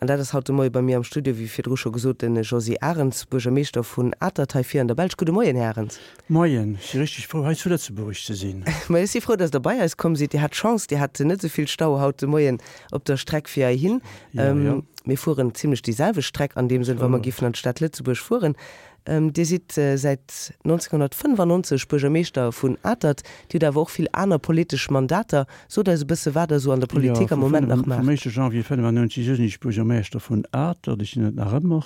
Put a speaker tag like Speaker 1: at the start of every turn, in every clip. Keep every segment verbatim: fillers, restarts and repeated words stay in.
Speaker 1: An dat ass haut de Moie bei mir am Studio, wéi virdru scho gesot, de Josy Arens, Buergermeeschter vun Atert hei vir an der Belsch. Gudde Moien, Här Arens.
Speaker 2: Moien, ech si richteg frou hei zu Lëtzebuerg ze sinn.
Speaker 1: Ma ech si frou, dass Der bei eis komm sidd. Dir hat Chance, Dir hat net esou vill Stau haut de Moien op der Streck fir heihin.
Speaker 2: Ja, ja.
Speaker 1: Mir fueren zimlech déi selwecht Streck an deem Sënn, wa mer giffen an d'Stad Lëtzebuerg fueren. Dir sidd säit nonzénghonnertfënnefannonzeg Buergermeeschter vun Atert. Dir hutt awer och vill aner politesch Mandater. Sot eis e bësse wat Der esou an der Politik am Moment nach maacht.
Speaker 2: Vum éischte Janvier fënnefannonzeg u sinn ech Buergermeeschter vun Atert. Ech sinn et nach ëmmer.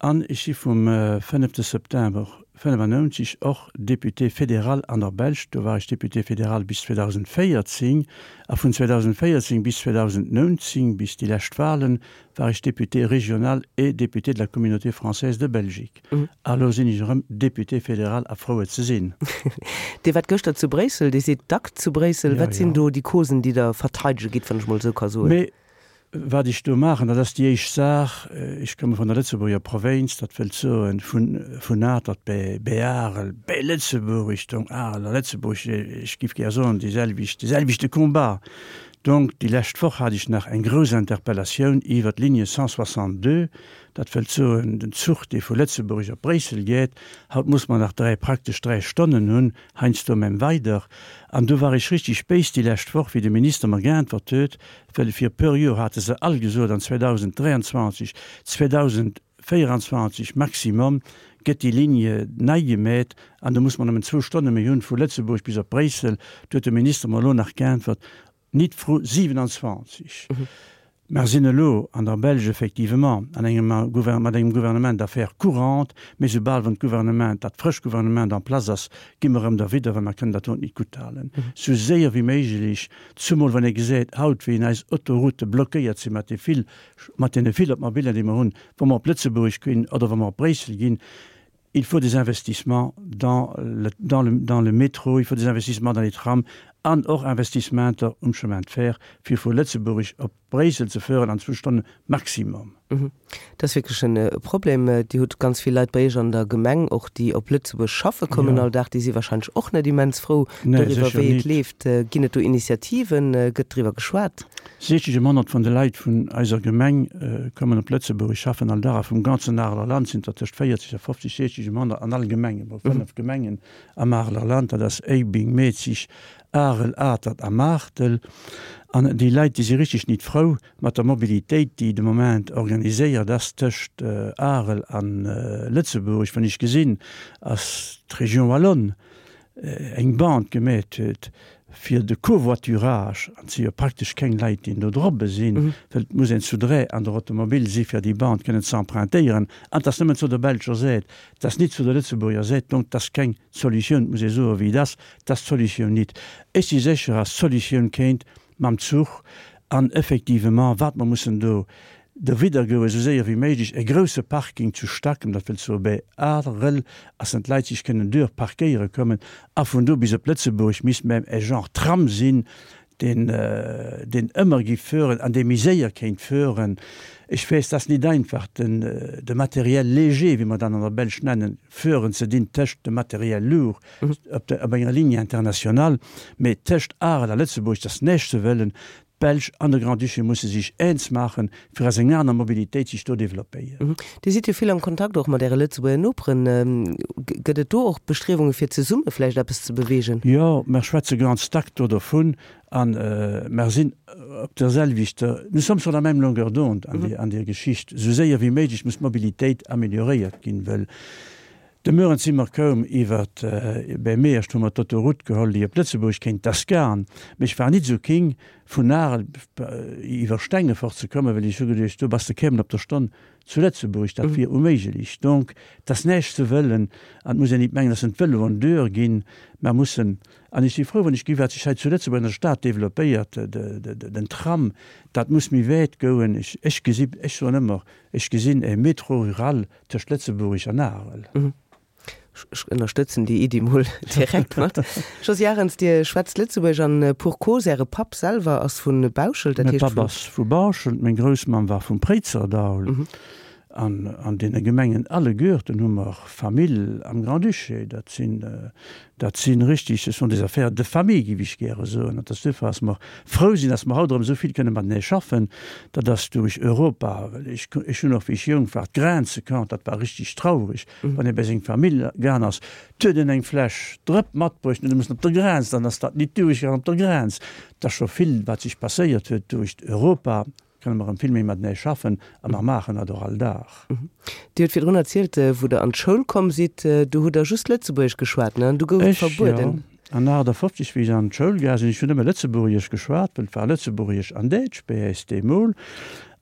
Speaker 2: An ech si vum fënnefte September fënnefannonzeg och Député fédéral an der Belsch. Do war ech Député fédéral bis zweedausendvéierzéng a vun zweedausendvéierzéng bis zweedausendnonzéng, bis déi lescht Wahlen, war ech Député régional et député de la Communauté française de Belgique. A elo sinn ech erëm Député fédéral a frou et ze sinn.
Speaker 1: Dir waart gëschter zu Bréissel, Dir sidd dack zu Bréissel. Wat sinn do déi Causen, déi Der verteidege gitt, wann ech mol esou ka soen?
Speaker 2: Mee wat ech do maachen, dat ass déi éischt Saach, ech komme vun der Lëtzebuerger Provénz, dat wëllt soen vun vun Atert bäi bäi Arel, bäi Lëtzebuerg, Richtung Arel a Lëtzebuerg, ech giff gär soen déi selwecht, dee selwechte Combat. Donc, déi lescht Woch hat ech nach eng grouss Interpellatioun iwwert d'Ligne cent soixante-deux, dat wëllt soen den Zuch, dee vu Lëtzebuerg op Bréissel geet. Haut muss mer nach dräi, praktesch dräi Stonnen hunn, heiansdo même weider. An do war ech richtig béis déi lescht Woch, wéi de Minister mer geäntwert huet, well fir e puer Joer hate se all gesot, an zweedausenddräianzwanzeg, zweedausendvéieranzwanzeg maximum gëtt déi Ligne nei gemeet an do muss mer nëmmen zwou Stonne méi hunn vu Lëtzebuerg bis op Bréissel. Do huet de Minister mer elo nach geäntwert, Nit vru siwenanzwanzeg. Mer sinn elo an der Belsch effectivement an engem mat engem Gouvernement d'affaires courantes, mee soubal wann d'Gouvernement, dat frëscht Gouvernement en place ass, gi mer erëm derwidder, well mer kënnen dat do nit gutthalen. Sou séier wéi méiglech, zumol wann ee gesäit haut, wéi eis Autoroute blockéiert sinn mat de vill, mat deene vill Automobilen, déi mer hunn, wa mer op Lëtzebuerg ginn oder wa mer op Bréissel ginn. Il faut des investissements dans le, dans le, dans le métro, il faut des investissements dans les trams an och Investissementer um Chemin de fer, fir vu Lëtzebuerg op Bréissel ze fueren an zwou Stonne maximum.
Speaker 1: Dat ass wierklech e Problem. Dir hutt ganz vill Leit bei Iech an der Gemeng och, déi op Lëtzebuerg schaffe kommen all Dag. Déi si wahrscheinlech och net immens frou doriwwer, wéi et leeft. Ginn et do Initiativen? Gëtt driwwer geschwat?
Speaker 2: Siechzeg um Honnert vun de Leit vun eiser Gemeng kommen op Lëtzebuerg, schaffen all Dag a vum ganzen Areler Land sinn der tëscht véierzeg a fofzeg, siechzeg um Honnert an all Gemeng, emol fënnef Gemengen am Areler Land, dat ass Éibing, Metzig, Arel, Atert a Maartel. An déi Leit, déi si richteg nit frou mat der Mobilitéit, déi de Moment organiséiert ass tëscht Arel a Lëtzebuerg. Wann ech gesinn, ass d'Région wallonne eng Bande gemeet huet fir de Covoiturage, an et si jo praktesch keng Leit, déi do drobbe sinn, well et muss een zu dräi an der Automobil si fir déi Bande kënnen ze empruntéieren, an et ass nëmmen zu der belscher Säit, et ass nit zu der Lëtzebuerger Säit, donc et ass keng Solutioun, et muss ee soe wéi et ass, et ass d'Solutioun nit. Ech si sécher, ass d'Solutioun kéint mam Zuch an effectivement wat mer mussen do derwidder goe esou séier wéi méiglech, e grousse Parking zu Stackem, dat wëllt soe bäi Arel, ass dann d'Leit sech kënnen duer parkéiere kommen a vun do bis op Lëtzebuerg misst même e Genre Tram sinn, deen deen ëmmer géif fueren an dee méi séier kéint fueren. Ech weess, 't ass nit einfach den de Matériel léger, wéi mer dat an der Belsch nennen, fueren ze dinn tëscht dem Matériel lourd op der op enger Ligne internationale, mee tëscht Arel a Lëtzebuerg, 't ass näischt ze wëllen. D'Belsch an de Grand-Duché musse sech eens maachen, fir ass eng aner Mobilitéit sech do développéiert.
Speaker 1: Dir sidd jo vill am Kontakt och mat Äre Lëtzebuerger Noperen. Gëtt et do och Bestriewunge fir zesumme vläicht eppes ze beweegen?
Speaker 2: Jo, mer schwätze ganz dack do dovun a mer sinn op der selwechter, nous sommes sur la même longueur d'onde an deer Geschicht. Esou séier wéi méiglech muss d'Mobilitéit amélioréiert ginn, wëll De Mueren si mer koum iwwer bäi Meerscht, hu mer d'Autoroute geholl, déi op Lëtzebuerg kéint, t'ass gaang, mee ech war nit esou king, vun Arel iwwer Stengefort ze kommen, well ech hu geduecht, do bass de kémmen op der Stonn zu Lëtzebuerg, dat wier unméiglech. Donc, t'ass näischt ze wëllen an et muss een nit mengen, dass en d'Vëloen duer ginn. Mer mussen, an ech si frou, wann ech gesi wat sech hei zu Lëtzebuerg an der Stad développéiert, den Tram, dat muss méi wäit goen. Ech, ech gesi, ech soen ëmmer, ech gesinn e Métro rural tëscht Lëtzebuerg an Arel.
Speaker 1: Ech ënnerstëtzen déi Iddi mol direkt mat. Josy Arens, Dir schwätzt Lëtzebuergesch an pour cause, Äre Papp selwer ass vu Bauschelt,
Speaker 2: dat heescht. Mäi Papp ass vu Bauschelt, meng Groussmamm war vum Préizerdaul. An an deene Gemengen alleguerten hu mer Famill am Grand-Duché. Dat sinn, dat si richtig, ce sont des affaires de famille, géif ech gäre soen. An et ass duerfir, dass mer frou sinn, dass mer haut erëm esou vill kënne matenee schaffen. Dat ass duerch Europa, well ech, ech hunn och, wéi ech jonk war, d'Grenze kannt. Dat war richtig traurig, wann ee bei seng Famill gaang ass, 't huet een eng Fläsch Drëpp matbruecht an huet mussen op der Grenz, dann ass dat nit duerchgaangen op der Grenz. Et ass scho vill, wat sech passéiert huet duerch Europa. Kënne mer erëm vill méi matenee schaffen a mer maachen dat och all Dag.
Speaker 1: Dir hutt virdrun erzielt, wou Der an d'Schoul komm sidd, do hutt Der just Lëtzebuergesch geschwat, ne? An du gouf et
Speaker 2: Ech, jo.
Speaker 1: verbueden.
Speaker 2: An achtafofzeg, wéi ech an d'Schoul gaang sinn, ech hunn nëmme Lëtzebuergesch geschwat, well et war Lëtzebuergesch an Däitsch bei äis deemol.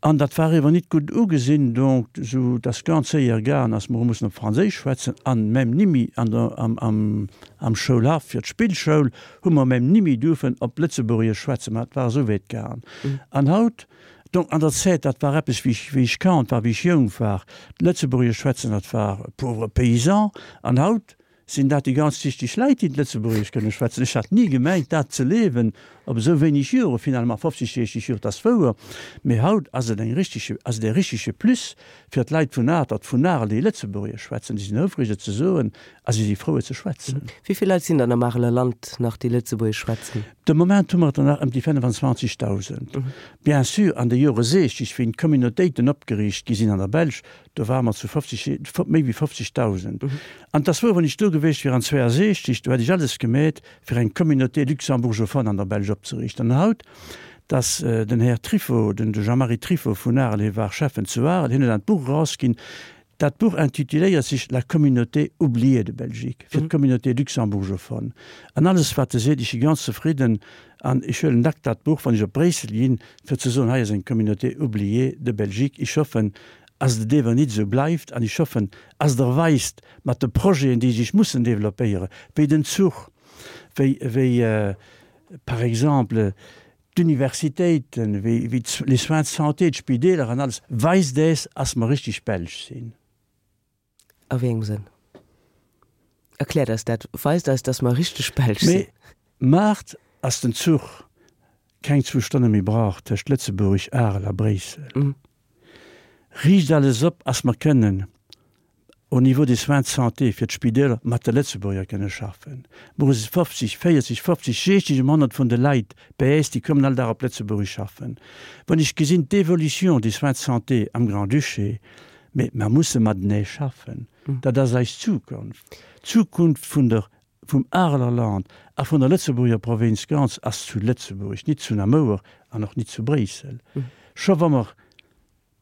Speaker 2: An dat war ewer nit gutt ugesinn, donc sou dass ganz séier gaang, dass mer hu mussen op Franséisch schwätzen an même nimmi an der, am, am, am Schoulhaff fir d'Spillschoul hu mer même nimmi duerfen op Lëtzebuergesch schwätzen, mä et war esou wäit gaang. An haut, donc an der Zäit, dat war eppes wéi ech, wéi ech Kand war, wéi ech jonk war, d'Lëtzebuergesch schwätzen, dat war pauvre paysan, an haut sinn dat déi ganz wichteg Leit, déi d'Lëtzebuergesch kënne schwätzen. Ech hat ni gemengt, dat ze liewen op esou wéineg Jore, finalement fofzeg, siechzeg Jor, dat ass wouer, mee haut ass et eng richtege, ass et e richtege Plus fir d'Leit vun Atert, vun Arel, déi Lëtzebuergesch schwätzen. Déi sinn houfreg, et ze soen a si si frou, et ze schwätzen.
Speaker 1: Wéi vill Leit sinn dann am Areler Land nach, déi Lëtzebuergesch schwätzen?
Speaker 2: De Moment hu mer der nach ëm déi fënnefenzwanzegdausend. Bien sûr, an de Jore siechzeg, wéi d'Communautéiten opgeriicht gi sinn an der Belsch, do ware mer zu fofzeg, méi wéi fofzegdausend. An et ass wouer, wann ech do gewiescht wier an zweeënsechzeg, do hätt ech alles gemeet, fir eng Communauté luxembourgeophone an der Belsch opzeriichten. An haut, dass den Här Trifo, den Jean-Marie Trifo vun Arel, hie war Schäffen zu Arel, hien huet dat Buch erausginn, Dat Buch intituléiert sech La communauté oubliée de Belgique, fir d'Communauté luxembourgeophone. An alles, wat e seet, ech si ganz zefridden an ech huelen dack dat Buch, wann ech op Bréissel ginn, fir ze soen, hei ass eng Communauté oubliée de Belgique. Ech hoffen, ass et ewer nit esou bleift an ech hoffen, ass Der weist mat de Projeten, déi sech mussen développéieren, wéi den Zuch, wéi, wéi par exemple d'Universitéiten, wéi, wéi les soins de santé, d'Spideeler an alles, weist äis, ass mer richtig Belsch sinn.
Speaker 1: A wéi engem Sënn? Erkläert eis dat. Weist eis, dass mer richteg Belsch sinn.
Speaker 2: Mee maacht, ass den Zuch keng zwou Stonne méi brauch tëscht Lëtzebuerg, Arel a Bréissel. Riicht alles op, ass mer kënnen au niveau des soins de santé fir d'Spideeler mat de Lëtzebuerger kënne schaffen. Mer hu fofzeg, véierzeg, fofzeg, siechzeg um honnert vun de Leit bei äis, déi kommen all Dag op Lëtzebuerg schaffen. Wann ech gesinn d'Évolution des soins de santé am Grand-Duché, mee mer musse matenee schaffen, dat ass eis Zukunft. D'Zukunft vun der, vum Areler Land a vun der Lëtzebuerger Provinz ganz ass zu Lëtzebuerg, nit zu Namouer an och nit zu Bréissel. Scho wa mer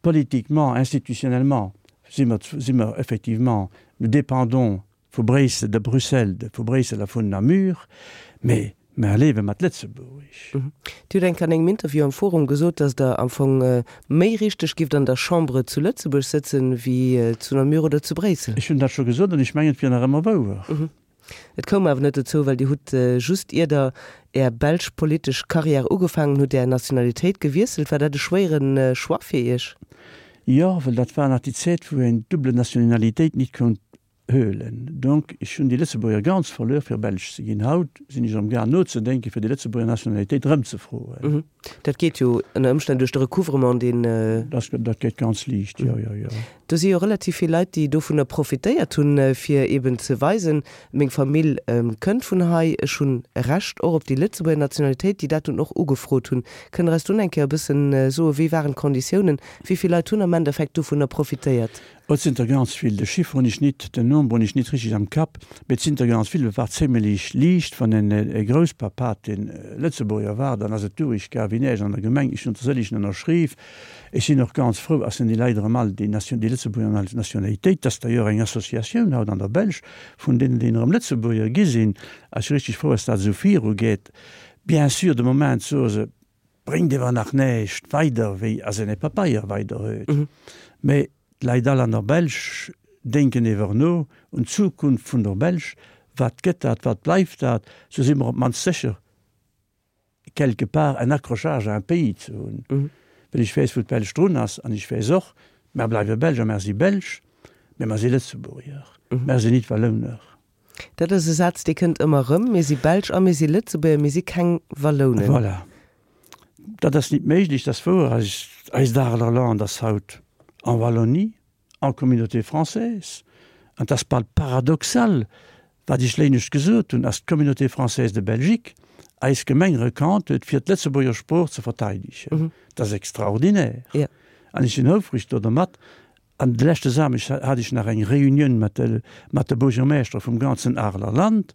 Speaker 2: politiquement, institutionnellement si mer, si mer effectivement, nous dépendons vu Bréissel, de Bruxelles, de vu Bréissel a vun Namur, mee mer liewe mat Lëtzebuerg.
Speaker 1: Dir hutt eng Kéier an engem Interview am Forum gesot, datt Der am Fong méi richteg gifft an der Chambre zu Lëtzebuerg sëtzen, wéi zu Namur oder zu Bréissel.
Speaker 2: Ech hunn dat scho gesot an ech mengen, et wier nach ëmmer wouer.
Speaker 1: Et koum awer net dozou, well Dir hutt just ier Der Är belsch politesch Karriär ugefaangen hutt, Är Nationalitéit gewiesselt. War dat e schwéiere Choix fir Iech?
Speaker 2: Jo, well dat war nach déi Zäit, wou een d'double Nationalitéit nit konnt huelen. Donc, ech hunn déi Lëtzebuerger ganz verluer, fir Belsch ze ginn. Haut sinn ech amgaang nozedenken, fir déi Lëtzebuerger Nationalitéit erëmzefroen.
Speaker 1: Dat geet jo ënner Ëmstänn duerch de Recouvrement, deen.
Speaker 2: Dat, dat geet ganz liicht, jo, jo, jo.
Speaker 1: Do si jo relativ vill Leit, déi dovunner profitéiert hunn, fir eben ze weisen, meng Famill kënnt vun hei, ech hunn e Recht och op déi Lëtzebuerger Nationalitéit, déi dat dunn och ugefrot hunn. Kënnt Der eis dunn eng Kéier e bëssen soen, wéi waren d'Konditiounen, wéi vill Leit hunn am Endeffekt dovunner profitéiert?
Speaker 2: Oh, et sinn der ganz vill. De Chiffre hunn ech nit, den Nombre hunn ech nit richtig am Kapp, mee et sinn der ganz vill. Et war zimmelech liicht, wann en e Grousspapp hat, deen Lëtzebuerger war, dann ass et duerchgaang wéi näischt an der Gemeng. Ech hunn der sëllegen ënnerschriww. Ech sinn och ganz frou, ass déi Leit erëm all déi Nation, déi Lëtzebuerger Nationalitéit. Dat ass d'ailleurs eng Associatioun haut an der Belsch vun deenen, déi erëm Lëtzebuerger gi sinn. A ech si richtig frou, ass dat esou virugeet. Bien sûr, de Moment soe se, bréngt ewer nach näischt weider, wéi ass en e Papeier weider huet. Mee d'Leit all an der Belsch denken ewer no un d'Zukunft vun der Belsch, Wat gëtt dat, wat bleift dat? Sou si mer op d'mannst sécher, quelque part un accrochage à un pays ze hunn. Well ech weess, wou d'Belsch drun ass, an ech weess och, mer bleiwe Belsch a mer si Belsch, mä mer si Lëtzebuerger, mer sinn nit Wallouner.
Speaker 1: Dat ass e Saz, dee kënnt ëmmer erëm, Mir si Belsch a mir si Lëtzebuerger, mir si keng Wallounen.
Speaker 2: Voilà. Dat ass nit méiglech, dat ass wouer. Eist, eist Areler Land ass haut en Wallonie. en Communauté française. An 't ass bal paradoxal, wat ech léinescht gesot hunn, ass d'Communauté française de Belgique eis Gemeng rekannt huet, fir d'Lëtzebuerger Sprooch ze verteidegen. Dat ass extraordinaire. An ech sinn houfreg do dermat. An de leschte Samschdeg hat ech nach eng Reunioun mat de, mat de Buergermeeschtere vum ganzen Areler Land,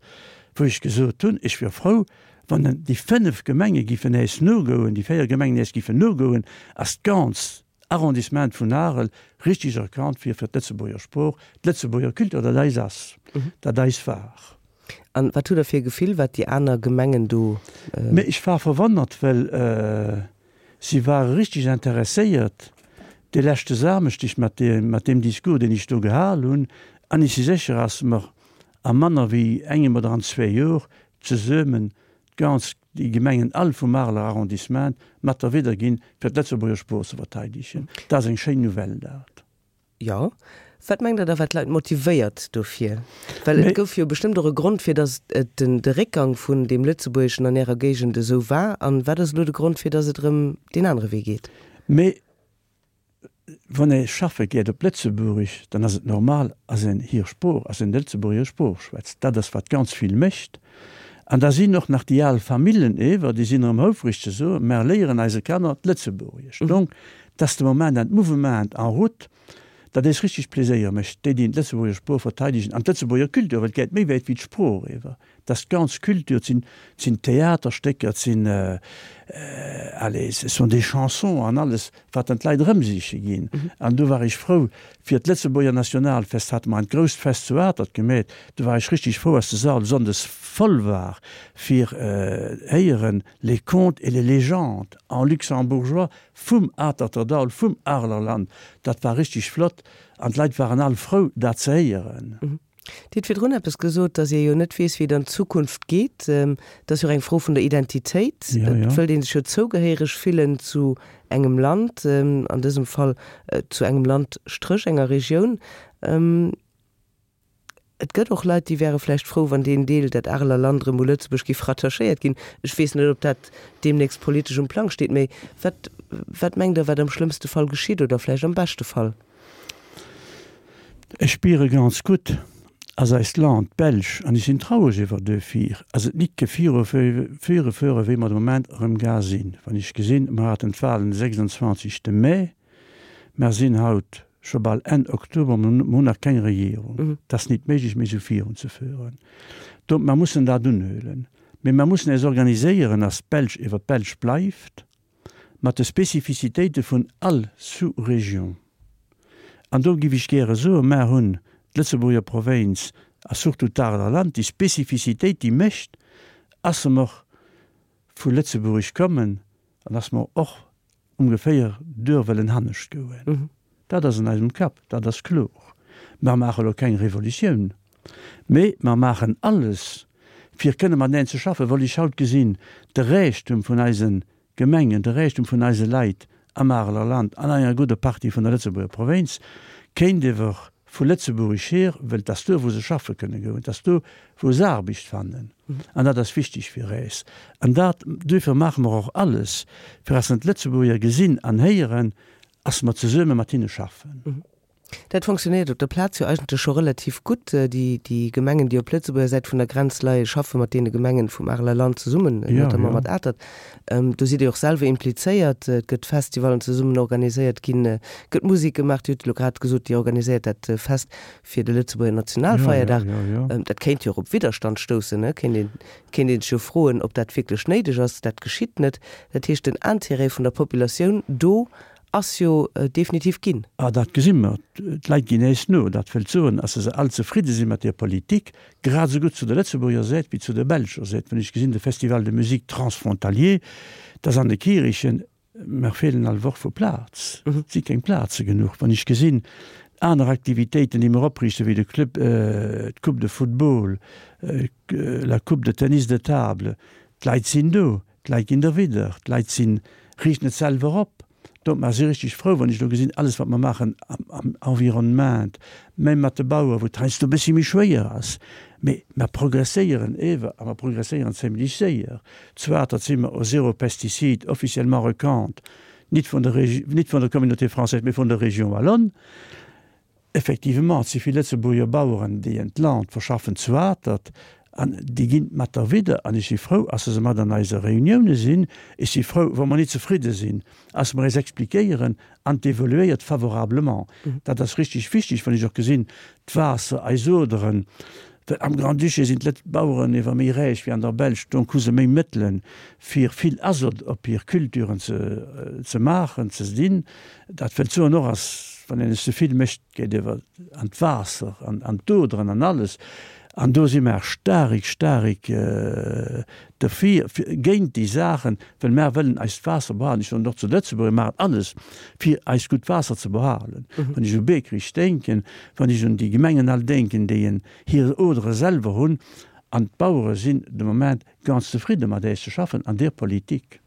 Speaker 2: wou ech gesot hunn, ech wier frou, wann déi fënnef Gemenge giffen äis nogoen, déi véier Gemengen äis giffen nogoen, ass d'ganz Arrondissement vun Arel richtig erkannt wier fir d'Lëtzebuerger Sprooch, d'Lëtzebuerger Culture, dat eis ass, dat eis war.
Speaker 1: An wat hutt Der fir e Gefill, wat déi aner Gemengen do.
Speaker 2: Mee ech war verwonnert, well si ware richtig interesséiert de leschte Samschdeg mat deem, mat deem Discours, deen ech do gehal hunn. An ech si sécher, dass mer a manner wéi engem oder an zwee Jor zesummen d'ganz, déi Gemengen all vum Areler Arrondissement mat derwidder ginn, fir d'Lëtzebuerger Sprooch ze verteidegen. Dat ass eng schéin Nouvelle, dat.
Speaker 1: Jo. Wat mengt Der da, wat d'Leit motivéiert dofir? Well et gouf jo bestëmmt och e Grond, fir datt et den, de Réckgang vun deem Lëtzebuergeschen an Ärer Géigend esou war. An wat ass elo de Grond, fir datt et erëm deen anere Wee geet?
Speaker 2: Mee wann ee schaffe geet op Lëtzebuerg, dann ass et normal, ass een hir Sprooch, ass een d'Lëtzebuerger Sprooch schwätzt. Dat ass wat ganz vill mécht. An da sinn och nach déi al Famillen ewer, déi sinn erëm houfreg ze soen, Mer léieren eise Kanner d'Lëtzebuergesch. Donc, dat ass de Moment en Mouvement en route, dat eis richteg Pleséier mécht, déi, déi d'Lëtzebuerger Sprooch verteidegen an d'Lëtzebuerger Kultur, well et geet méi wäit wéi d'Sprooch ewer. Dat ass d'ganz Kultur, et sinn, et sinn Theaterstécker, et sinn, allez, ce sont des chansons an alles, wat dann d'Leit erëmsiche ginn. An do war ech frou, fir d'Lëtzebuerger Nationalfest hate mer en grousst Fest zu Atert gemeet, do war ech richteg frou, als de Sall sonndes voll war, fir héieren les contes et les légendes en luxembourgeois vum Aterterdall, vum Arelerland. Dat war richteg flott an d'Leit waren all frou, dat ze héieren.
Speaker 1: Dir hutt virdrun eppes gesot, datt ee jo net weess, wéi et an d'Zukunft geet. Dat ass jo och eng Fro vun der Identitéit. Et wëllt ee sech jo zougehéiereg fillen zu engem Land, an dësem Fall zu engem Land Stréch enger Regioun. Et gëtt och Leit, déi wäre vläicht frou, wann deen Deel, dat Areler Land, erëm u Lëtzebuerg géif rattachéiert ginn. Ech weess net, ob dat deemnächst politesch um Plang steet, mee wat, wat mengt Der, wat am schlëmmste Fall geschitt oder vläicht am beschte Fall?
Speaker 2: Ech spiere ganz gutt, ass eist Land, d'Belsch, an ech sinn traureg iwwer duerfir, ass et nit ke viru virufuere wéi mer de Moment erëm ga sinn. Wann ech gesinn, mer haten d'Wahlen de sechsundzwanzegste Mee, mer sinn haut scho bal Enn Oktober, mer hunn nach keng Regierung. Et ass nit méiglech méi esou virunzeföhren. Donc mer mussen dat unhuelen. Mee mer mussen eis organiséieren, dass d'Belsch iwwer d'Belsch bleift, mat de Spécificitéite vun all Sous-région. An do giff ech gäre soen, mer hunn d'Lëtzebuerger Provénz a surtout d'Areler Land, déi Spécificitéit déi mécht, ass se mer vu Lëtzebuerg kommen an ass mer och ongeféier duer wëllen hannescht goen. Dat ass an eisem Kapp, dat ass kloer. Mer maache elo keng Revolutioun, mee mer maachen alles, fir kënne mateneen ze schaffen, well ech haut gesinn, de Räichtum vun eise Gemengen, de Räichtum vun eise Leit am Areler Land an enger gudder Partie vun der Lëtzebuerger Provénz kéint ewer vu Lëtzebuerg hier, well et ass do, wou se schaffe kënne goen, et ass do, wou se Aarbecht fannen. An dat ass wichteg fir äis. An dat, duerfir maache mer och alles, fir dass en d'Lëtzebuerger gesinn an héieren, dass mer zesumme mat hinne schaffen.
Speaker 1: Dat fonctionnéiert op der Plaz jo eigentlech scho relativ gutt. Déi, déi Gemengen, déi op Lëtzebuerger Säit vun der Grenz leien, schaffe mat deene Gemengen vum Areler Land zesummen, notamment mat Atert. Do sidd Dir och selwer implizéiert. Et gëtt Festivalen zesummen organiséiert ginn, gëtt Musek gemaach. Dir hutt elo grad gesot, Dir organiséiert dat Fest fir de Lëtzebuerger Nationalfeierdag. Dat kéint jo och op Widderstand stoussen, ne? Kéint een, kéint een sech jo froen, ob dat wierklech néideg ass. Dat geschitt net. Dat heescht, den Intérêt vun der Populatioun do ass jo definitiv ginn.
Speaker 2: Ah, dat gesi mer. D'Leit ginn äis no. Dat wëllt soen, dass se all zefridde si mat där Politik, grad esou gutt zu der Lëtzebuerger Säit wéi zu der belscher Säit. Wann ech gesinn, de Festival de musique transfrontalier, dat ass an de Kierichen, mer feelen all Woch vu Plaz. Et si keng Plaze genuch. Wann ech gesinn, aner Aktivitéiten, déi mer opriichten, wéi de Club, d'Coupe de football, la Coupe de tennis de table, d'Leit sinn do. D'Leit ginn derwidder, d'Leit sinn, riichten et selwer op. Donc mer si richteg frou, wann ech elo gesinn, alles wat mer maachen am Environnement, même mat de Bauer, wou et heiansdo e bëssi méi schwéier ass, mee mer progresséieren ewer a mer progresséieren zimlech séier. Zwar, datt si mer au zéro pesticide officiellement recannt, nit vun der, nit vun der Communauté française, mee vun der Région wallonne. Effectivement, et si vill Lëtzebuerger Baueren, déi en d'Land verschaffen zu Atert, an déi ginn mat derwidder. An ech si frou, ass se mat an eise Reunioune sinn. Ech si frou, wa mer net zefridde sinn, ass mer eis expliquéieren an d'evoluéiert favorablement. Dat ass richtig wichteg, wann ech och gesinn, d'Waasser, eis Oderen, well am Grand-Duché sinn d'Lëtz Baueren ewer méi räich wéi an der Belsch, donc hu se méi Mëttelen, fir vill Azot op hir Culturen ze ze maachen, ze dinn. Dat wëllt soen och, ass, wann een es ze vill mécht, geet ewer an d'Waasser, an an d'Oderen an alles. An do si mer starik, starik derfir, géint déi Saachen, well mer wëllen eist Waasser behalen. Ech soen och zu Lëtzebuerg, mir maachen alles, fir eist gutt Waasser ze behalen. Wann ech u Beekrich denken, wann ech un déi Gemengen all denken, déi en hir Odere selwer hunn. An d'Bauere sinn de Moment ganz zefridde mat äis ze schaffen an deer Politik.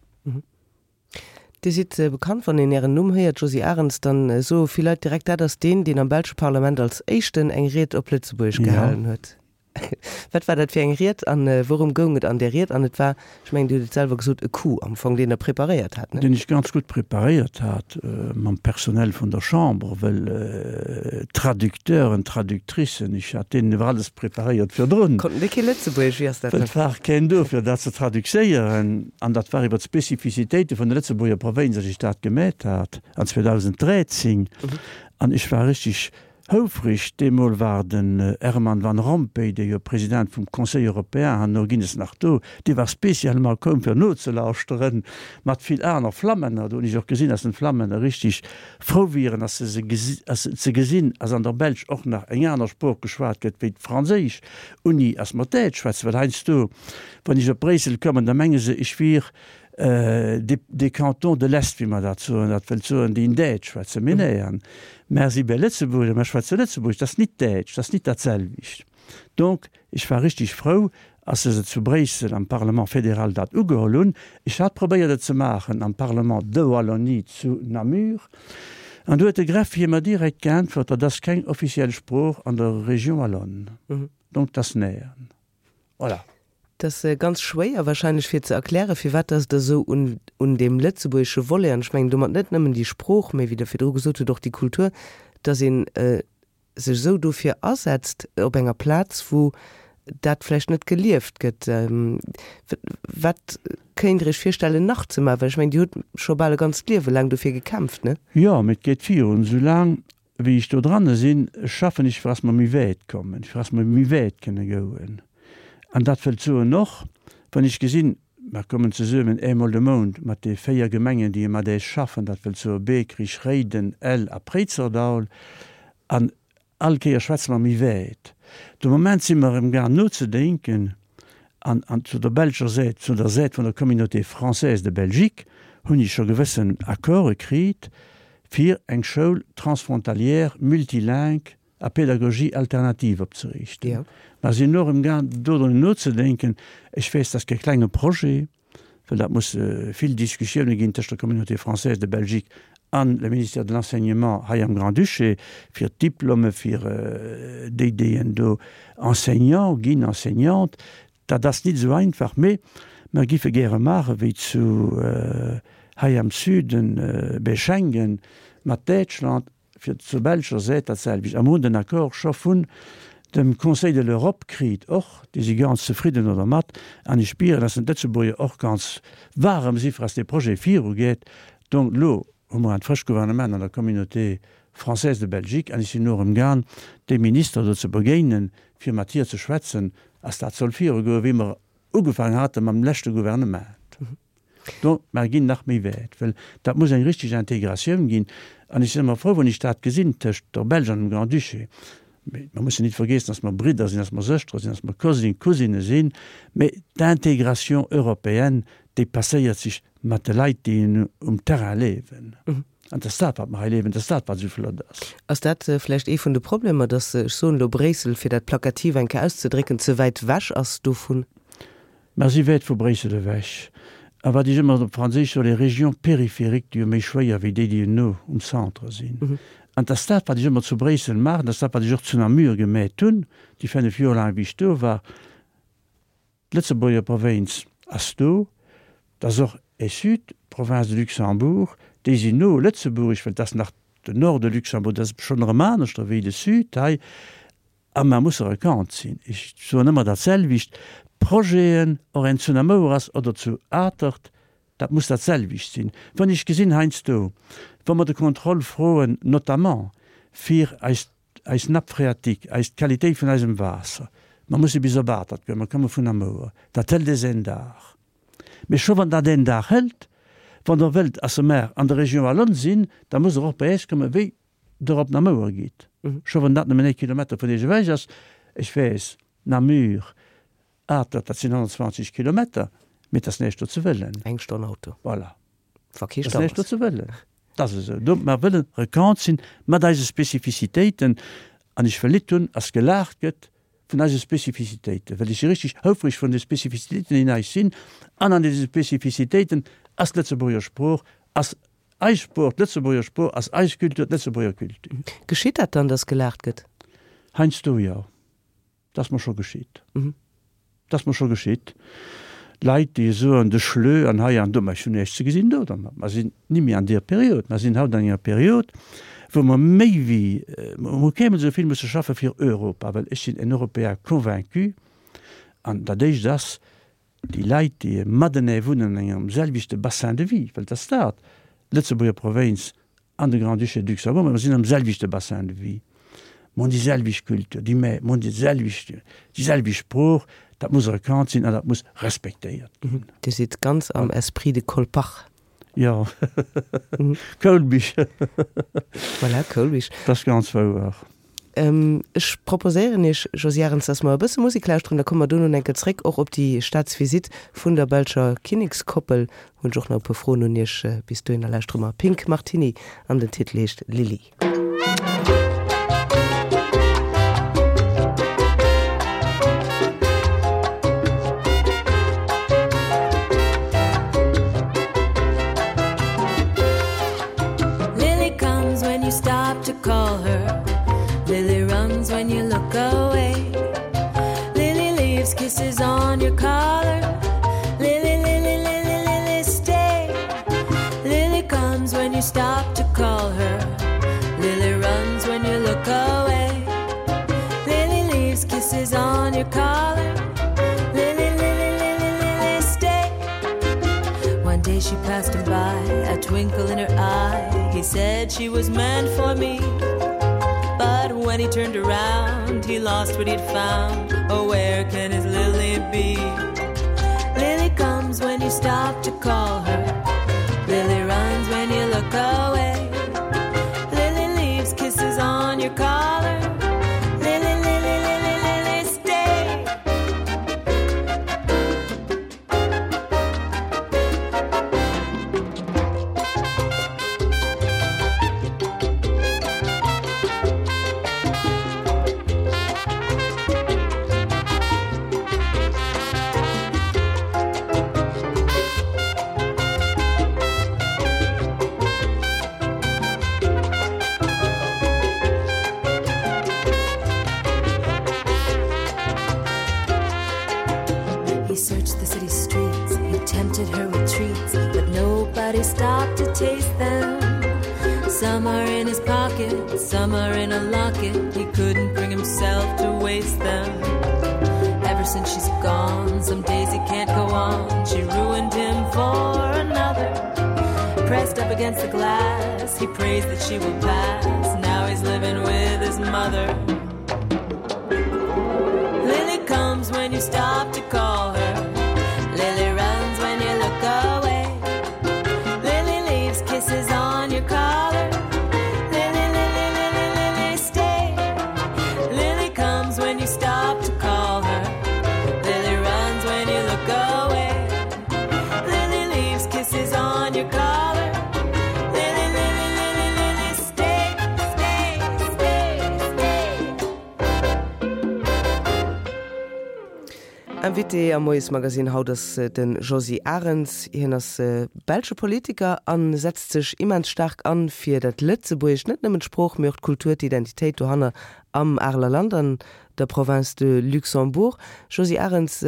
Speaker 1: Dir sidd bekannt, wann een Ären Numm héiert, Josy Arens, dann soe vill Leit direkt, dat ass deen, deen am belsche Parlament als éischten eng Ried op Lëtzebuergesch gehalen huet. Wat war dat fir eng Ried an wourëm goung et an där Ried? An et war, ech mengen, Dir hutt et selwer gesot, e Coup am Fong, deen Der preparéiert hat, ne?
Speaker 2: Deen ech ganz gutt preparéiert hat mam Personnel vun der Chamber, well Traducteuren, Traductricen, ech hat deenen iwwer alles preparéiert virdrun.
Speaker 1: Konnten déi kee Lëtzebuergesch? Wéi ass dat
Speaker 2: dann? Et war keen do, fir dat ze traducéieren. An dat war iwwer d'Specificitéite vun de Lëtzebuerger Provënz, datt ech dat gemeet hat an zweedausend dräizéng. An ech war richtig houfreg. Deemol war den Herman Van Rompuy, dee jo President vum Conseil européen, herno ginn es nach do, dee war spécialement koum, fir nozelauschteren, mat vill aner Flammänner. Do hunn ech och gesinn, datt den Flammänner richtig frou wieren, datt se se ze gesinn, ass an der Belsch och nach eng aner Sprooch geschwat gëtt wéi d'Franséisch, unni ass mer d'Däitsch schwätzen, well heiansdo, wann ech op Bréissel kommen, da menge se, ech wier des cantons de l'Est, wéi mer dat soen, dat wëllt soen, déi en Däitsch schwätzen. Mee nee, an mer si bei Lëtzebuerger, mer schwätze Lëtzebuergesch, dat ass nit Däitsch, dat ass nit dat selwecht. Donc, ech war richtig frou, als se zu Bréissel am Parlement fédéral dat ugeholl hunn. Ech hat probéiert et ze maachen am Parlement de Wallonie zu Namur, an do huet de Greffier mer direkt geäntwert, dat ass keng offiziell Sprooch an der Région wallonne. Donc, dat ass nähern. Voilà.
Speaker 1: Et ass ganz schwéier wahrscheinlech fir ze erklären, firwat dass Der esou un un deem lëtzebuergesche Volet, an ech mengen domat net nëmmen déi Sprooch, mä wéi Der virdru gesot hutt, och déi Kultur, dass een sech esou dofir asetzt op enger Plaz, wou dat vläicht net gelieft gëtt. Wat kéint Der Iech virstellen nach ze maachen? Well ech mengen, Dir hutt scho bal e ganzt Liewe laang dofir gekämpft, ne?
Speaker 2: Jo, mee et geet virun. Soulaang wéi ech do dranne sinn, schaffen ech, fir dass mer méi wäit kommen, fir dass mer méi wäit kënne goen. An dat wëllt soen och, wann ech gesinn, mer kommen zesummen eemol de Mount mat de véier Gemengen, déi mat äis schaffen, dat wëllt soe Beekrich, Réiden, Ell a Préizerdaul, an all Kéier schwätze mer méi wäit. De Moment si mer emgaang nozedénken an, an zu der belscher Säit, zu der Säit vun der Communauté française de Belgique hunn ech scho gewëssen Accorde kritt, fir eng Schoul transfrontalière multilingue à pédagogie alternative opzeriichten. Mer sinn och emgaang dodrun nozedenken. Ech weess, dat ass kee klenge Projet, well dat muss vill Diskussioune ginn tëscht der Communauté française de Belgique an le Ministère de l'Enseignement hei am Grand-Duché, fir d'Diplome fir déi, déi en do Enseignant ginn, Enseignante. Dat ass nit esou einfach, mee mer giffe gäre maache wéi zu hei am Süden bei Schengen mat Däitschland, fir zur belscher Säit dat selwecht. A mer hunn den Accord scho vun dem Conseil de l'Europe kritt och, déi si ganz zefridden do dermat. An ech spieren, dass d'Lëtzebuerger och ganz waarem si fir dass dee Projet virugeet. Donc elo hu mer en frëscht Gouvernement an der Communauté française de Belgique an ech sinn elo erëm gaang dee Minister do ze begéinen, fir mat hir ze schwätzen, dass dat soll virugoen, wéi mer ugefaangen hate mam leschte Gouvernement. Donc, mer ginn nach méi wäit, well dat muss eng richteg Integratioun ginn. An ech sinn ëmmer frou, wann ech dat gesinn tëscht der Belsch an dem Grand-Duché. Mee mer mussen nit vergeessen, dass mer Bridder sinn, dass mer Sëschtere sinn, dass mer Cousin, Cousinë sinn. Mee d'Intégration européenne, déi passéiert sech mat de Leit, déi um Terrain liewen. An et ass dat, wat mer hei liewen, et ass dat, wat esou flott ass.
Speaker 1: Ass dat vläicht ee vun de Problemer, dass, ech soen elo Bréissel, fir dat plakativ eng Kéier auszedrécken, ze wäit wech ass dovun?
Speaker 2: Mer si wäit vu Bréissel ewech. A wat ech ëmmer op Franséisch soen, les régions périphériques, déi hu méi schwéier wéi déi, déi no um Centre sinn. An et ass dat, wat ech ëmmer zu Bréissel maachen, et ass dat, wat ech och zu Namur gemeet hunn, déi fënnef Joer laang, wéi ech do war. D'Lëtzebuerger Provinz ass do, et ass och e Sud, d'Province de Luxembourg, déi sinn no Lëtzebuerg, well et ass nach de Nord de Luxembourg, dat ass schonn erëm aneschter wéi de Sud hei, a mer musse erkannt sinn. Ech soen ëmmer dat selwecht, D'Projeten, och en zu Namouer ass oder zu Atert, dat muss dat selwecht sinn. Wann ech gesinn heiansdo, wa mer de Contrôle froen, notamment fir eis, eis Nappe phréatique, eis, d'Qualitéit vun eisem Waasser, mer musse bis op Atert goen, mer komme vun Namouer, dat hëlt eis een Dag. Mee scho wann dat een Dag hëlt, wann Der wëllt à ce mer an der Région wallonne sinn, da musst Der och bei äis kommen, wéi Der op Namouer gitt. Scho wann dat nëmmen ee Kilometer vun Iech ewech ass, ech weess, Namur, Atert, dat sinn honnertzwanzeg Kilometer, mee et ass näischt do ze wëllen.
Speaker 1: Eng Stonn Auto.
Speaker 2: Voilà.
Speaker 1: Wa kee
Speaker 2: Et ass
Speaker 1: Stau
Speaker 2: näischt do
Speaker 1: ass.
Speaker 2: ze wëllen. Dat ass esou. Do, mer wëllen rekant sinn mat eise Spezifizitéiten. An ech wëll nit hunn, ass gelaacht gëtt vun eise Spezifizitéiten, well ech si richtig houfreg vun de Spezifizitéiten, déi in eis sinn. An an deese Spezifizitéiten ass d'Lëtzebuerger Sprooch, ass eis Sprooch, d'Lëtzebuerger Sprooch, ass eis Kultur, d'Lëtzebuerger Kultur.
Speaker 1: Geschitt dat dann, dass gelaacht gëtt?
Speaker 2: Heiansdo jo. Dat ass mer scho geschitt. Dat ass mer scho geschitt. Leit, déi soen, de Schlö an hei an do, mä ech hunn näischt ze gesinn do dermat. Mer sinn ni méi an deer Period. Mer sinn haut an enger Period, wou mer méi wéi, mer hu kémol esou vill musse schaffe fir Europa, well ech sinn en Europäer convaincu, an dat Éischt ass, déi Leit, déi matenee wunnen an engem selwechte Bassin de vie, well et ass dat, d'Lëtzebuerger Provinz an de Grand-Duché de Luxembourg, mä mer sinn am selwechte Bassin de vie, mer hunn déi selwecht Kultur, déi mer hunn déi selwecht, déi selwecht Sprooch, dat muss erkannt sinn an dat muss respektéiert ginn.
Speaker 1: Dir sidd ganz am Esprit de Colpach.
Speaker 2: Jo, Koulbich.
Speaker 1: Voilà, Koulbich.
Speaker 2: Dat ass ganz wouer.
Speaker 1: Ech proposéieren Iech, Josy Arens, dass mer e bësse Musek lauschteren, da komme mer dono enke zréck och op déi Staatsvisitt vun der belscher Kinnekskoppel. Hunn ech och nach e puer Froen un Iech. Bis dohinner lauschtere mer Pink Martini an den Titel heescht Lily.
Speaker 3: Lily comes when you stop to call her. Lily runs when you look away. Lily leaves kisses on your collar. Lily, Lily, Lily, Lily, stay. Lily comes when you stop to call her. Lily runs when you look away. Lily leaves kisses on your collar. Lily, Lily, Lily, Lily, stay. One day she passed him by, a twinkle in her eye. He said she was meant for me. But when he turned around, he lost what he'd found. Oh, where can his Lily be? Lily comes when you stop to call her. Lily runs when you look away. Lily leaves kisses on your collar. Lily, Lily, Lily, Lily, stay. He searched the city streets, he tempted her with treats, but nobody stopped to taste them. Some are in his pocket, some are in a locket. He couldn't bring himself to waste them. Ever since she's gone, some days he can't go on. She ruined him for another. Pressed up against the glass, he prays that she will pass. Now he's living with his mother. Lily comes when you stop to call her. Lily runs when you look away. Lily leaves kisses on your collar. Lily, Lily, Lily, Lily, stay. Lily comes when you stop to call her. Lily runs when you look away. Lily leaves kisses on your collar. Lily, Lily, Lily, Lily, stay, stay, stay, stay.
Speaker 1: Invité am Moiesmagazin haut ass de Josy Arens. Hien ass belsche Politiker a setzt sech immens staark an, fir dat Lëtzebuergescht, net nëmmen d'Sprooch, mee och d'Kultur, d'Identitéit dohanner am Areler Land, an der Province de Luxembourg. Josy Arens,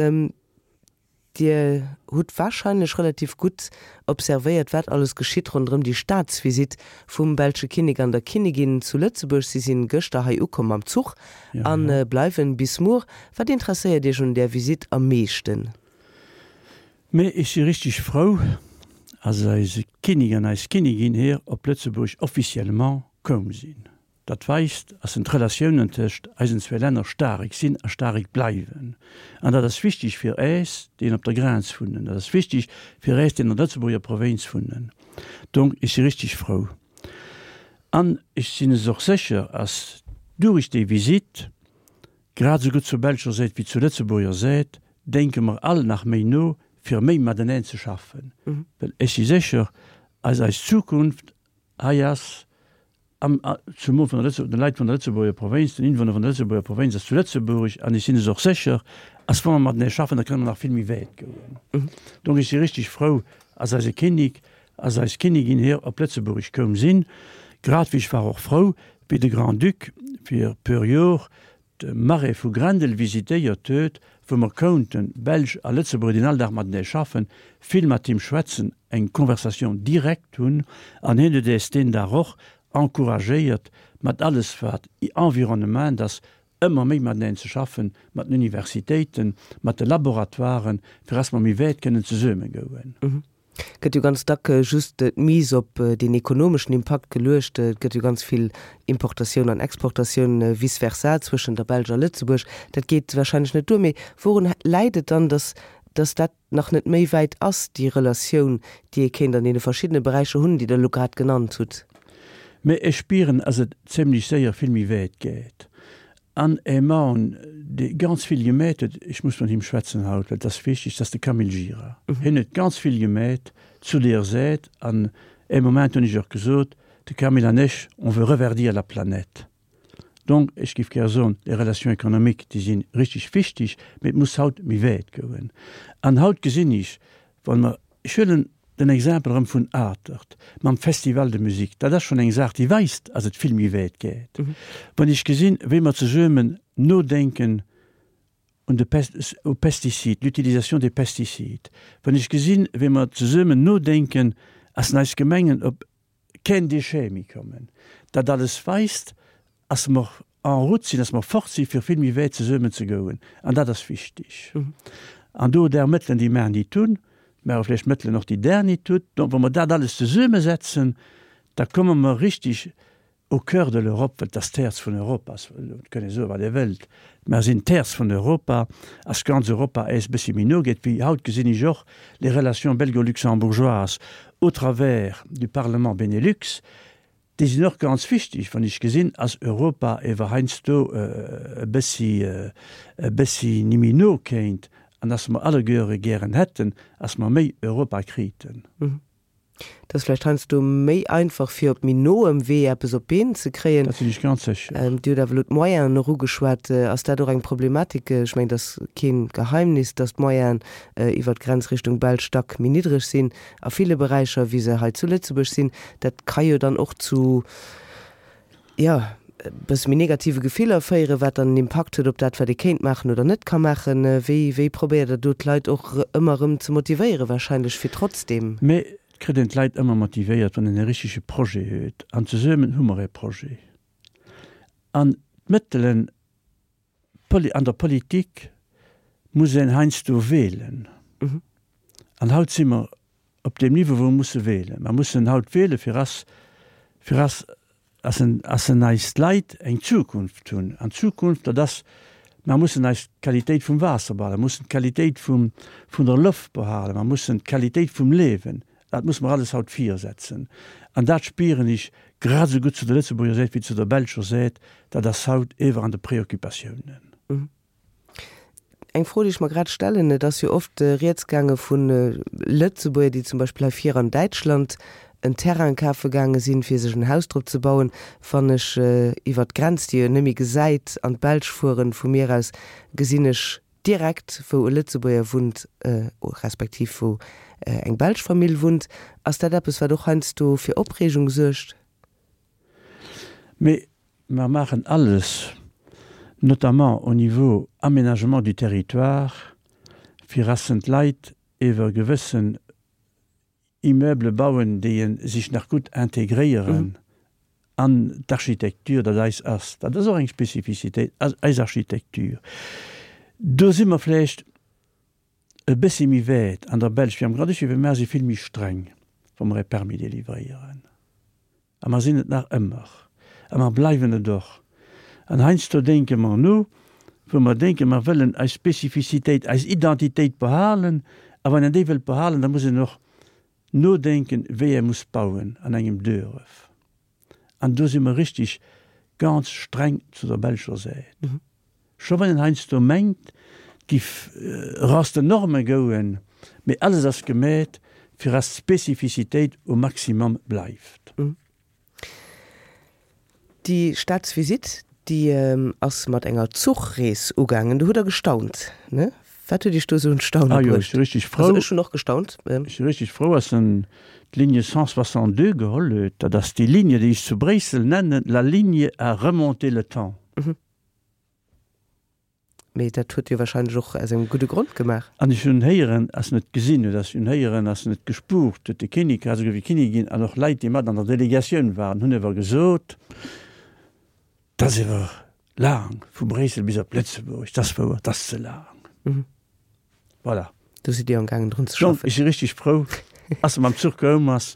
Speaker 1: Dir hutt warscheinlech relativ gutt observéiert, wat alles geschitt ronderëm déi Staatsvisitt vum belsche Kinnek an der Kinnigin zu Lëtzebuerg. Si sinn gëschter hei ukomm mam Zuch a bleiwen bis muer. Wat interesséiert Iech un där Visitt am meeschten?
Speaker 2: Mee ech si richteg frou, ass eise Kinnek an eis Kinnigin hier op Lëtzebuerg officiellement koum sinn. Dat weist, ass en d'Relatiounen tëscht eisen zwee Länner staark sinn a staark bleiwen. An dat ass wichteg fir äis, déi op der Grenz wunnen. Dat ass wichteg fir äis, déi an der Lëtzebuerger Provinz wunnen. Donc, ech si richteg frou. An ech sinn es och sécher, ass durich déi Visitt, grad esou gutt zur belscher Säit wéi zur Lëtzebuerger Säit, denke mer all nach méi no, fir méi mateneen ze schaffen. Well ech si sécher, ass eis Zukunft hei ass, am, zumol vun der Lëtze-, den Leit vun der Lëtzebuerger Provinz, den Inwunner vun der Lëtzebuerger Provinz ass zu Lëtzebuerg an ech sinn es och sécher, ass wa mer matenee schaffen, da kënne mer nach vill méi wäit goen. Donc ech si richtig frou, ass eise Kinnek, ass eis Kinnigin hier op Lëtzebuerg koum sinn, grad wéi ech war och frou, wéi de Grand-Duc fir puer Jor de Marais vu Grendel visitéiert huet, wou mer kounten, Belsch a Lëtzebuerger, déi all Dag matenee schaffen, vill mat him schwätzen, eng Conversation directe hunn an hien huet äis deen Dag och encouragéiert, mat alles wat Environnement ass, ëmmer méi mateneen ze schaffen, mat den Universitéiten, mat de Laboratoiren, fir dass mer méi wäit kënnen zesumme goen.
Speaker 1: Gëtt jo ganz dack just d'Mise op deen ekonomeschen Impakt geluecht. Et gëtt jo ganz vill Importatioun an Exportatioun, vice versa, zwëschen der Belsch a Lëtzebuerg. Dat geet warscheinlech net duer. Mee wourun läit et dann, dass, dass dat nach net méi wäit ass, déi Relatioun, déi ee kéint an deene verschiddene Beräicher hunn, déi Der elo grad genannt hutt?
Speaker 2: Mee ech spieren, dass et zimlech séier vill méi wäit geet. An e Mann, dee ganz vill gemeet huet, ech muss mat him schwätzen haut, well et ass wichteg, dat ass de Camille Gira. Hien huet ganz vill gemeet zu deer Säit an ee Moment hunn ech och gesot, de Camille an ech, on veut reverdir la planète. Donc, ech géif gär soen, les relations économiques, déi si richteg wichteg, mee et muss haut méi wäit goen. An haut gesinn ech, wann mer, ech huelen den Exempel erëm vun Atert mam Festival de musique, dat ass schonn eng Saach, déi weist, dass et vill méi wäit geet. Wann ech gesinn, wéi mer zesummen nodenken un de aux pesticides, l'utilisation des pesticides, wann ech gesinn, wéi mer zesummen nodenken, dass eis Gemengen op keen Déchet méi kommen, dat alles weist, dass mer en route sinn, dass mer fort si fir vill méi wäit zesummen ze goen. An dat ass wichteg. An do där Mëttelen, déi mer nit hunn, mä och vläicht Mëttelen och, déi där nit hutt, donc wa mer dat alles zesummesetzen, da komme mer richtig au cœur de l'Europe, well et ass d'Häerz vun Europa, et kënn ee soen, wat ee wëllt, mer sinn d'Häerz vun Europa, ass ganz Europa äis e bëssi méi no geet, wéi haut gesinn ech och les relations belgo-luxembourgeoises au travers du Parlement Benelux, Déi sinn och ganz wichteg, wann ech gesinn, ass Europa ewer heiansdo e bëssi, e bëssi ni méi no kéint an dass mer alleguere gären hätten, ass mer méi Europa kriten.
Speaker 1: Et ass vläicht heiansdo méi einfach, fir op méi noem Wee eppes op d'Been ze kréien.
Speaker 2: Dat sinn ech ganz sécher.
Speaker 1: Dir hutt awer elo d'Moyenen och ugeschwat. Ass dat och eng Problematik? Ech mengen, et ass keen Geheimnis, dass d'Moyenen iwwert d'Grenz Richtung Belsch dack méi niddreg sinn a ville Beräicher, wéi se hei zu Lëtzebuerg sinn. Dat ka jo dann och zu, jo, e bësse méi negative Gefiller féieren, wat dann en Impakt huet op dat, wat ee kéint maachen oder net ka maachen. Wéi, wéi probéiert Der do d'Leit och ëmmer erëm ze motivéieren, wahrscheinlech, fir trotzdeem.
Speaker 2: Mee et kritt een d'Leit ëmmer motivéiert, wann een e richtege Projet huet. An zesummen hu mer e Projet. An d'Mëttelen an der Politik muss een heiansdo wählen. An haut si mer op deem Niveau, wou mer musse wählen. Mer mussen haut wählen, fir ass, fir ass, ass en, ass en eis Leit eng Zukunft hunn. An d'Zukunft, dat ass, mer mussen eis d'Qualitéit vum Waasser behalen, mer mussen d'Qualitéit vum, vun der Loft behalen, mer mussen d'Qualitéit vum Liewen, dat musse mer alles haut virsetzen. An dat spieren ech grad esou gutt zu der Lëtzebuerger Säit wéi zu der belscher Säit, dat ass haut ewer an de Préoccupatiounen.
Speaker 1: Eng Fro, déi ech mer grad stellen, Et ass jo oft rieds gaange vu Lëtzebuerger, déi zum Beispill hei vir an Däitschland en Terrain kafe gaange sinn, fir sech en Haus drop ze bauen. Wann ech iwwert d'Grenz, déi een net méi gesäit, an d'Belsch fueren, vu mir aus, gesinn ech direkt, wou e Lëtzebuerger wunnt, respektiv wou eng belsch Famill wunnt. Ass dat eppes, wat och heiansdo fir Opreegung suergt?
Speaker 2: Mee mer maachen alles, notamment au niveau aménagement du territoire, fir ass en d'Leit iwwer gewëssen Immeuble bauen, déi en sech nach gutt integréieren an d'Architektur, dat eis ass. Dat ass och eng Spezifizitéit, eis Architektur. Do si mer vläicht e bëssi méi wäit an der Belsch wéi am Grand-Duché, well mer si vill méi streng, wa mer e Permis délivréieren. A mer sinn et nach ëmmer. A mer bleiwen et och. An heiansdo denke mer no, wou mer denken, mer wëllen eis Spezifizitéit, eis Identitéit behalen. A wann een déi wëllt behalen, da muss een och nodenken, wéi ee muss bauen an engem Duerf. An do si mer richtig ganz streng zu der belscher Säit. Scho wann een heiansdo mengt, et giff eraus den Norme gouen, mee alles ass gemeet, fir dass d'Spezifizitéit um Maximum bleift.
Speaker 1: Déi Staatsvisitt, déi ass mat enger Zuchrees ugaangen. Do hutt Der gestaunt, ne? Wat huet Iech do esou un d'Staune
Speaker 2: Ah jo, ech
Speaker 1: bruecht?
Speaker 2: si richtig
Speaker 1: Also
Speaker 2: frou.
Speaker 1: ech hunn och gestaunt.
Speaker 2: Ech si richtig frou, dass en d'Ligne cent soixante-deux geholl huet. Dat ass déi Ligne, déi ech zu Bréissel nennen, la ligne à remonter le temps.
Speaker 1: Mee dat huet Dir wahrscheinlech och aus engem gudde Grond gemaach.
Speaker 2: An ech hunn héieren, ass net gesinn huet, ass hunn héieren, ass net gespuert huet, de Kinnek, grad esou wéi d'Kinnigin an och Leit, déi mat an der Delegatioun waren, hunn ewer gesot, 't ass ewer laang vu Bréissel bis op Lëtzebuerg, 't ass wouer, 't ass ze laang. Voilà.
Speaker 1: Do sidd Dir amgaangen drun ze
Speaker 2: Donc,
Speaker 1: schaffen.
Speaker 2: ech si richtig frou, ass se mam Zuch koum ass.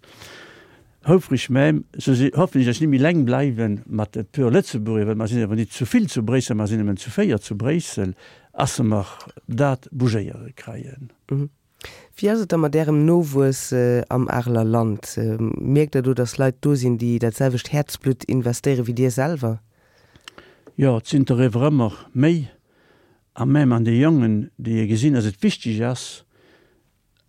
Speaker 2: Houfreg même, sou si hoffen ech, dass ech net méi leng bleiwen mat e puer Lëtzebuerger, well mer sinn awer nit zu vill zu Bréissel, mer sinn nëmmen zu véier zu Bréissel, ass mer dat bougéiere kreien.
Speaker 1: Wéi ass et da mat Ärem Nowuess am Areler Land? Mierkt Der do, dass Leit do sinn, déi dat selwecht Häerzblutt investéiere wéi Dir selwer?
Speaker 2: Jo, et sinn der ewer ëmmer méi, a même an de Jongen, déi gesinn, dass et wichteg ass,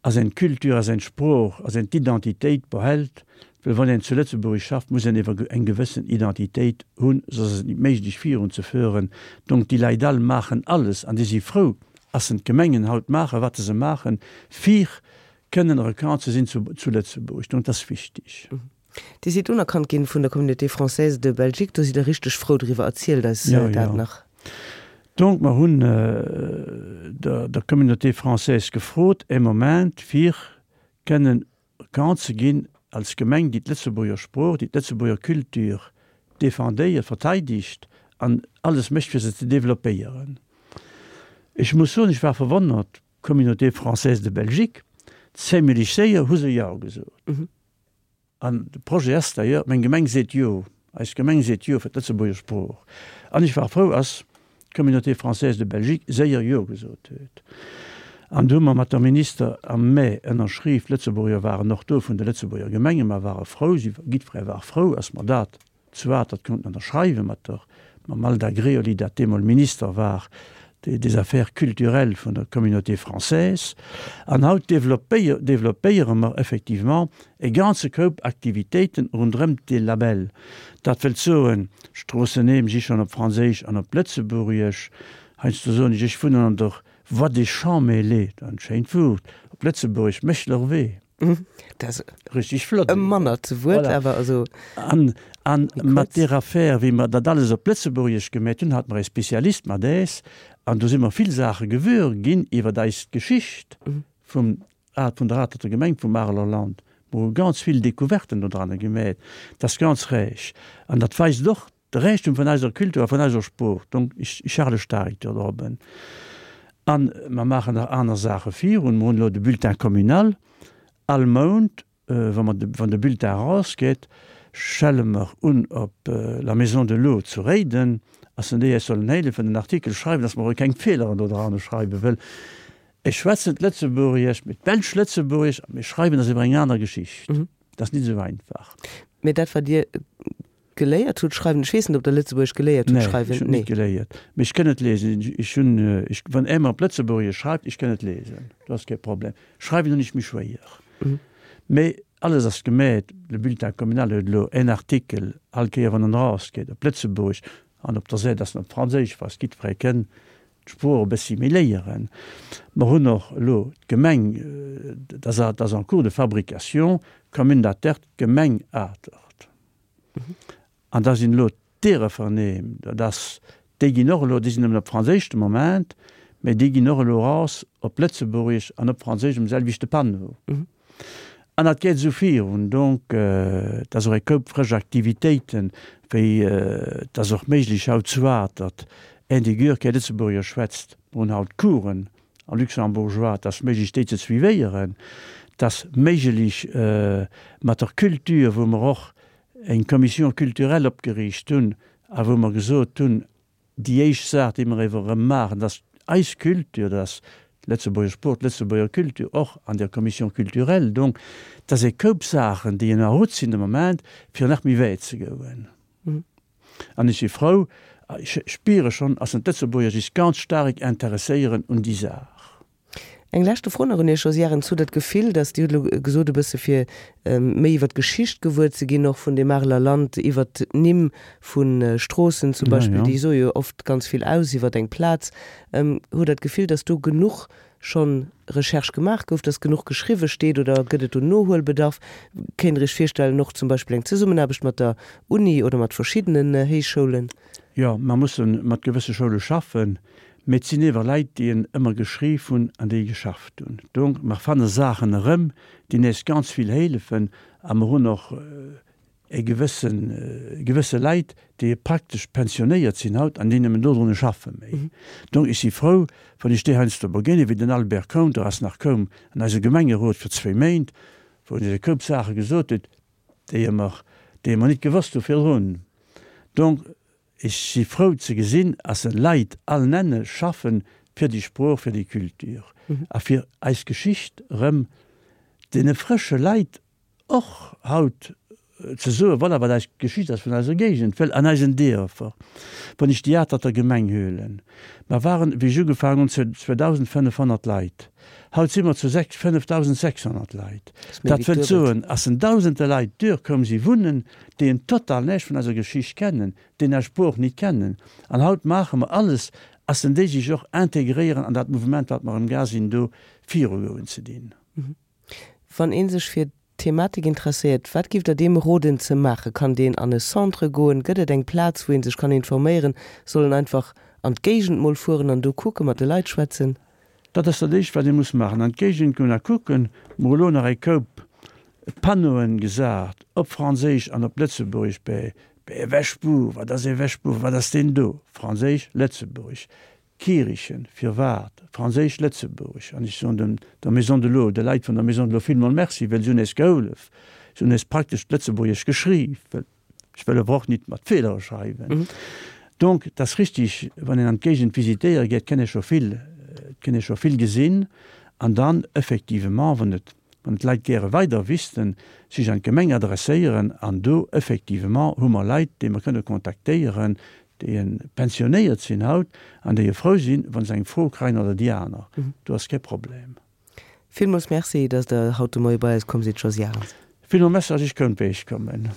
Speaker 2: ass een d'Kultur, ass een d'Sprooch, ass een d'Identitéit behält, well wann een zu Lëtzebuerg schafft, muss een ewer eng gewëssen Identitéit hunn, soss ass et nit méiglech virun ze föhren. Donc déi Leit all maachen alles an déi si frou, ass en d'Gemengen haut maachen, wat se maachen, fir kënnen erkannt ze sinn zu, zu Lëtzebuerg. Donc dat ass wichteg.
Speaker 1: Dir sidd unerkannt ginn vun der Communauté française de Belgique, do sidd Der richteg frou driwwer. Erzielt eis
Speaker 2: Ja,
Speaker 1: dat
Speaker 2: ja.
Speaker 1: nach.
Speaker 2: Donc mer hunn der, der Communauté française gefrot e Moment fir kënnen erkannt ze ginn als Gemeng, déi d'Lëtzebuerger Sprooch, déi d'Lëtzebuerger Culture défendéiert, verteidegt an alles mécht fir se ze développéieren. Ech muss soen, ech war verwonnert, d'Communauté française de Belgique, zimlech séier hu se Jo gesot. An de Projet ass d'ailleurs, meng Gemeng seet Jo, eis Gemeng seet Jo fir d'Lëtzebuerger Sprooch. An ech war frou, ass d'Communauté française de Belgique séier Jo gesot huet. An du hu mer mat der Minister am Mee ënnerschriww, d'Lëtzebuerger waren och do vun de Lëtzebuerger Gemengen, mer ware frou, si, jiddweree war frou, ass mer dat zu Atert konnten ënnerschreiwen mat der, mam Alda Greoli, dat deemol Minister war des Affaires culturelles vun der Communauté française. An haut développéiere mer effectivement e ganze Koup Aktivitéiten ronderëm dee Label. Dat wëllt soen, Stroossennimm si schonn op Franséisch an op Lëtzebuergesch. Heiansdo soen ech, ech wunnen an der Voie des Champs-Mêlés, dat ass e schéint Wuert, op Lëtzebuergesch Méchlerwee.
Speaker 1: Dat ass
Speaker 2: Richtig flott.
Speaker 1: e mannert Wuert,
Speaker 2: Voilà.
Speaker 1: awer also
Speaker 2: An, an
Speaker 1: méi
Speaker 2: mat
Speaker 1: kuerz.
Speaker 2: där Affär, wéi mer dat alles op Lëtzebuergesch gemeet hunn, hate mer e Spezialist mat äis, an do si mer vill Saache gewuer ginn iwwer eis Geschicht vum, vun der Aterter Gemeng, vum Areler Land. Mer hu ganz vill Découverten do dranne gemeet. Dat ass ganz räich. An dat weist och de Räichtum vun eiser Kultur a vun eiser Sprooch. Donc, ech, ech hale staark dorobben. An mer maachen nach aner Saache virun. Mer hunn elo de Bulletin communal. All Mount, wa mer de, wann de Bulletin erausgeet, schelle mer un op la Maison de l'Eau zu Réiden, ass en déi eis sollen hélefen den Artikel schreiwen, dass mer och keng Feeleren do dran schreiwen, wëll ech schwätzen d'Lëtzebuergesch, mee d'Belsch-Lëtzebuergesch, mee schreiwen ass iwwer eng aner Geschicht. Dat ass nit esou einfach.
Speaker 1: Mee dat wat Dir geléiert hutt schreiwen, ech weess net ob Der Lëtzebuergesch geléiert hutt
Speaker 2: Nee, ech
Speaker 1: schreiwen,
Speaker 2: hunn
Speaker 1: nee.
Speaker 2: nit geléiert, mee ech kënn et lesen. Ech hunn, ech, wann ee mer op Lëtzebuergesch schreift, ech kënn et lesen, dat ass kee Problem. Schreiwen hunn ech méi schwéier. Mee alles ass gemeet, de Bulletin communal huet elo en Artikel all Kéier wann en erausgeet op Lëtzebuergesch an op der Säit ass en op Franséisch, was jiddweree kënn d'Sprooch e bëssi méi léieren. Mer hunn och elo d'Gemeng, dat ass, dat ass en cours de fabrication, Commune d'Atert, Gemeng Atert. An da sinn elo d'Diereferneem, dat ass, déi ginn och elo, déi sinn nëmmen op Franséisch de Moment, Mä déi ginn och elo eraus op Lëtzebuergesch an op Franséisch um selwechte Panneau. An dat geet esou virun. Donc, et ass och e Koup frësch Aktivitéiten, wéi et ass och méiglech haut zu Atert, een dee guer kee Lëtzebuergesch schwätzt, mer hunn haut Coursen a Luxembourgeois, et ass méiglech déi ze suivéieren, et ass méiglech mat der Culture, wou mer och eng Commission culturelle opgeriicht hunn a wou mer gesot hunn, déi éischt Saach, déi mer ewer erëm maachen, dat ass eis Culture, dat ass d'Lëtzebuerger Sprooch, d'Lëtzebuerger Culture, och an der Commission culturelle. Donc, dat ass e Koup Saachen, déi en route sinn de Moment, fir nach méi wäit ze goen. An ech si frou, ech spiere schonn, ass d'Lëtzebuerger sech ganz staark interesséieren un déi Saach.
Speaker 1: Eng leschte Fro nach un Iech, Josy Arens. Hutt Der d'Gefill, datt, Dir hutt elo gesot e bësse fir méi iwwer d'Geschicht gewuer ze ginn och vun dem Areler Land, iwwer d'Nimm vu Stroossen zum Beispill, déi soe jo oft ganz vill aus iwwer eng Plaz, hutt Der d'Gefill, datt do genuch schonn Recherche gemaach gouf, datt genuch geschriwwe steet oder gëtt et do Nohuelbedarf? Kéint Der Iech virstellen och zum Beispill eng Zesummenaarbecht mat der Uni oder mat verschiddenen Héichschoulen?
Speaker 2: Jo, mer musse mat gewësse Schoule schaffen. Mee et sinn ewer Leit, déi en ëmmer geschriff hunn an déi geschafft hunn. Donc, mer fanne Saachen erëm, déi nees ganz vill hélefen. A mer hunn och e gewëssen, gewësse Leit, déi praktesch pensionéiert sinn haut an déi nëmmen dodrunner schaffe méi. Donc, ech si frou, wann ech déi heiansdo begéinen, wéi den Albert Koum, der ass nach koum an eise Gemengerot fir zwee Méint, wou en eis e Koup Saache gesot huet, déi mer, déi mer nit gewosst hu virdrun. Donc, Ech si frou ze gesinn, ass se Leit all nenne schaffen fir déi Sprooch, fir déi Culture a fir eis Geschicht erëm deene frësche Leit och haut ze soen, voilà, wat eis Geschicht ass vun eiser Géigend, well an eisen Dierfer, wann ech déi Aterter Gemeng huelen, mer waren, wéi ech ugefaangen hunn, zu zweedausendfënnefhonnert Leit, haut si mer zu sechs, fënnefdausendsechshonnert Leit. Dat wëllt soen, ass en dausende Leit duer koum si wunnen, déi en total näischt vun eiser Geschicht kennen, déi eis Sprooch nit kennen. An haut maache mer alles, ass en déi sech och integréieren an dat Mouvement, wat mer amgaang sinn do virugoen ze dinn.
Speaker 1: Wann ee sech fir d'Thematik interesséiert, wat giff Der deem roden ze maachen? Kann deen an e Centre goen? Gëtt et eng Plaz, wou ee sech kann informéieren? Soll en einfach an d'Géigend mol fueren an do kucken, mat de Leit schwätzen?
Speaker 2: Dat ass dat éischt, wat ee muss maachen, an d'Géigend goen a kucken. Mer hu lo nach e Koup Panneauen gesat, op Franséisch an op Lëtzebuergesch, bei bei e Wäschbuer, wat ass e Wäschbuer, wat ass deen do, Franséisch, Lëtzebuergesch, Kierichen, firwat, Franséisch, Lëtzebuergesch. An ech soen dem der Maison de l'Eau, de Leit vun der Maison de l'Eau villmol Merci, well se hunn eis gehollef, se hunn eis praktesch d'Lëtzebuergesch geschriww, well ech wëll awer och nit mat Feelere schreiwen. Donc, et ass richtig, wann een an d'Géigend visitéiere geet, kënn ee scho vill, kënn ee scho vill gesinn. An dann effectivement, wann et, wann d'Leit gäre weider wüssten, sech an d'Gemeng adresséieren. An do effectivement hu mer Leit, déi mer kënne kontaktéieren, déi pensionéiert sinn haut an déi frou sinn, wa se eng Fro kréien oder déi aner. Do ass kee Problem.
Speaker 1: Villmools Merci, dass Der haut de Moie bei eis komm sidd, Josy Arens.
Speaker 2: Villmools Merci, dass ech konnt bei Iech kommen.